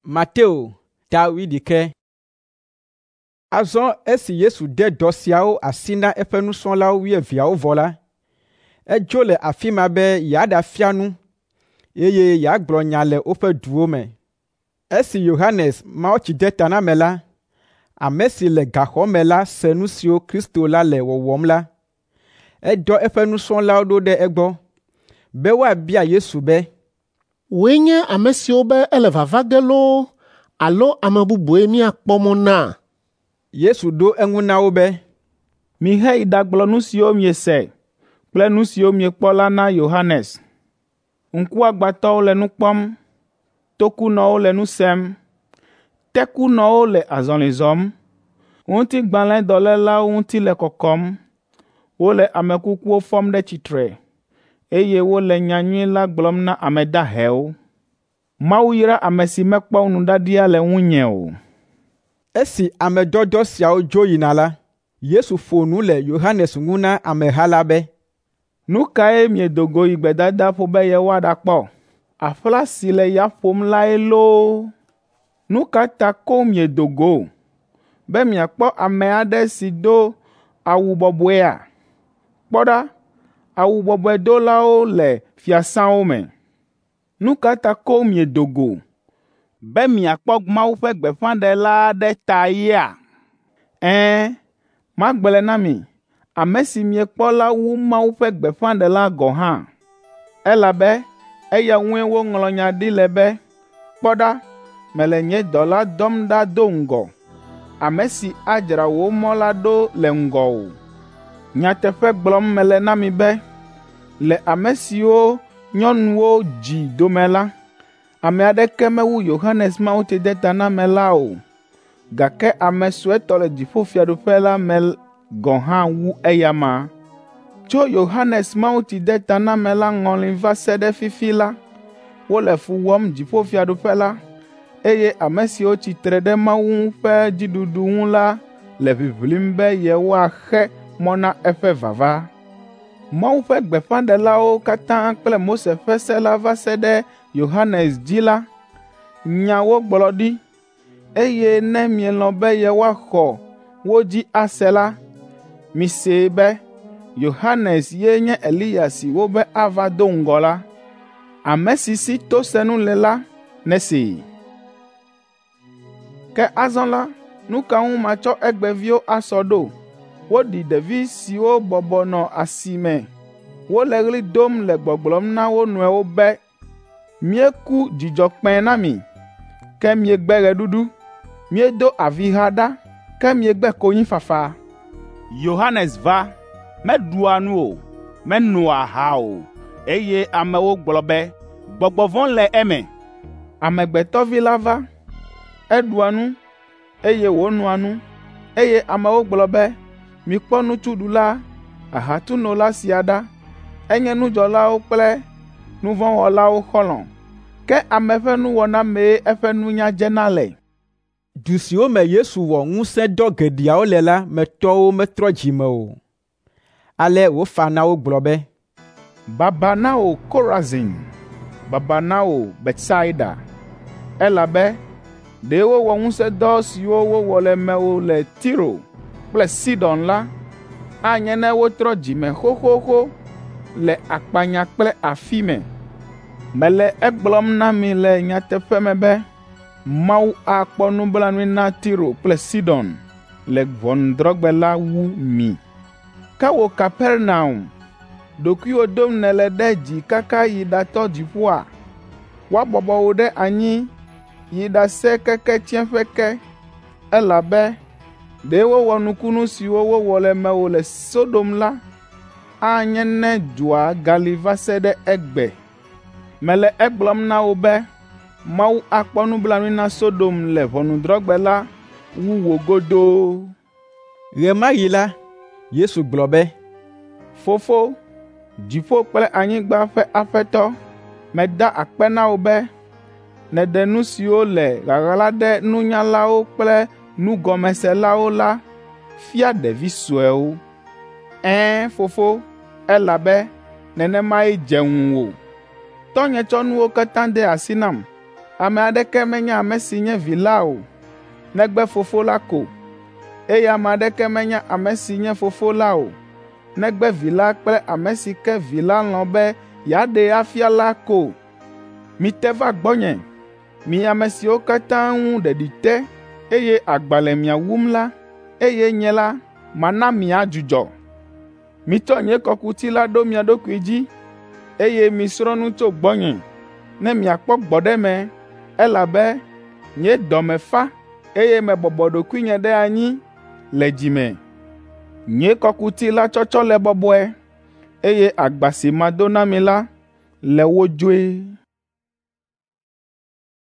Mateo ta wuiɖekɛ. Azɔ esi Yesu de dɔ siawo asi na eƒe nusrɔ̃lawo wuieveawo vɔ la, edzo le afi ma be yeaɖafia nu, eye yeagblɔ nya le woƒe duwo me. Esi Yohanes Mawutsidetanamela, ame si le gaxɔ me la se nu siwo Kristo la le wɔwɔm la, edɔ eƒe nusrɔ̃lawo ɖo ɖe egbɔ, be woabia Yesu be, “Wòe nye ame si wobe ele vava ge loo alo ame bubue míakpɔ mɔ na?” Yesu ɖo eŋu na wo be, “Miheyi ɖagblɔ nu siwo miese kple nu siwo miekpɔ la na Yohanes. Ŋkuagbãtɔwo le nu kpɔm, tokunɔwo le nu sem, tekunɔwo le azɔli zɔm, ŋutigbalẽdɔlélawo ŋuti le kɔkɔm, wole ame kukuwo fɔm ɖe tsitre, eye wole nyanyui la gblɔm na ame dahewo. Mawu yra ame si mekpɔ nuɖaɖia le ŋunye o.” Esi ame dɔdɔ siawo dzo yina la, Yesu ƒo nu le Yohanes ŋu na ameha la be, “Nu kae miedo go yi gbedadaƒo be yewoaɖakpɔ? Aƒla si le ya ƒom lae loo? Nu ka ta koŋ miedo go? Be miakpɔ ame aɖe si do awu bɔbɔea? Kpɔ ɖa, awu bɔbɔe dolawo le fiasãwo me. Nu ka ta koŋ miedo go? Be miakpɔ Mawu ƒe gbeƒãɖela aɖe ta yea? Ɛ̃, magblɔe na mi, ame si miekpɔ la wu Mawu ƒe gbeƒãɖela gɔ̃ hã. Elabe eya ŋue woŋlɔ nya ɖi le be, ‘Kpɔ ɖa, mele nye dɔla dɔm ɖa do ŋgɔ, ame si adzra wò mɔ la ɖo le ŋgɔwò.’ Nyateƒe gblɔm mele na mi be, le ame siwo nyɔnuwo dzi dome la, ame aɖeke mewu Yohanes Mawutsidetanamela o, gake ame suetɔ le dziƒofiaɖuƒe la me gɔ̃ hã wu eyama. Tso Yohanes Mawutsidetanamela ŋɔli va se ɖe fifi la, wole fu wɔm dziƒofiaɖuƒe la, eye ame siwo tsi tre ɖe Mawu ƒe dziɖuɖu ŋu la le ʋiʋlim be yewoaxe mɔ na eƒe vava. Mawu ƒe gbeƒãɖelawo katã kple Mose ƒe se la va se ɖe Yohanes dzi la, nya wogblɔ ɖi, eye ne mielɔ̃ be yewoaxɔ wo dzi ase la, misee be Yohanes ye nye Eliya si wobe ava do ŋgɔ la. Ame si si tosenu le la, nesee. Ke azɔ la, nu ka ŋu matsɔ egbeviwo asɔ ɖo? Woɖi ɖevi siwo bɔbɔ nɔ asi me. Wole ɣli dom le gbɔgblɔm na wo nɔewo be, ‘Míeku dzidzɔkpẽ na mi, ke miegbe ɣeɖuɖu. Míedo aviha ɖa, ke miegbe konyifafa.’ Yohanes va, meɖua nu o, menoa aha o, eye amewo gblɔ be, ‘Gbɔgbɔ vɔ̃ le eme.’ Amegbetɔ Vi la va, eɖua nu, eye wònoa nu, eye amewo gblɔ be, ‘Mikpɔ nutsuɖula, ahatunola sia ɖa, enye nudzɔlawo kple nu vɔ̃ wɔlawo xɔlɔ̃.’ Ke ame ƒe nuwɔna mee eƒe nunya dzena le.” Du siwo me Yesu wɔ ŋusẽdɔ geɖeawo le la me tɔwo metrɔ dzi me o. Ale wòfa na wo gblɔ be, “Baba na wò Korazin! Baba na wò Betsaida! Elabe ɖe wowɔ ŋusẽdɔ siwo wowɔ le mewò le Tiro kple Sidon la, anye ne wotrɔ dzi me xoxoxo le akpanya kple afi me. Mele egblɔm na mi le nyateƒe me be Mawu akpɔ nublanui na Tiro kple Sidon le ʋɔnudrɔ̃gbe la wu mi. Ke wò Kapernaum, ɖokuiwò dom nèle ɖe dzi kaka yi ɖatɔ dziƒoa? Woabɔbɔ wò ɖe anyi yi ɖase keke tsiẽƒe ke, elabe ɖe wowɔ nukunu siwo wowɔ le mewò le Sodom la, anye ne dua gali va se ɖe egbe. Mele egblɔm na wò be Mawu akpɔ nublanui na Sodom le ʋɔnudrɔ̃gbe la wu wò godoo.” Ɣe ma ɣi la, Yesu gblɔ be, “Fofo, dziƒo kple anyigba ƒe Aƒetɔ, meda akpe na wò be nèɖe nu siwo le ɣaɣla ɖe nunyalawo kple nugɔmeselawo la fia ɖevi suewo. Ɛ̃, Fofo, elabe nenemae dze ŋuwò. Tɔ́nye tsɔ nuwo katã de asi nam. Ame aɖeke menya ame si nye Vi la o, negbe Fofo la ko, eye ame aɖeke menya ame si nye Fofo la o, negbe Vi la kple ame si ke Vi la lɔ̃ be yeaɖee afia la ko. Mite va gbɔnye, mi ame siwo katã ŋu ɖeɖi te, eye agba le mia wum la, eye nye la, mana miadzudzɔ. Mitsɔ nye kɔkuti la ɖo mia ɖokui dzi, eye misrɔ̃ nu tso gbɔnye, ne miakpɔ gbɔɖeme, elabe nye dɔme fa, eye mebɔbɔ ɖokuinye ɖe anyi le dzi me. Nye kɔkuti la tsɔtsɔ le bɔbɔe, eye agba si mado na mi la le wodzoe.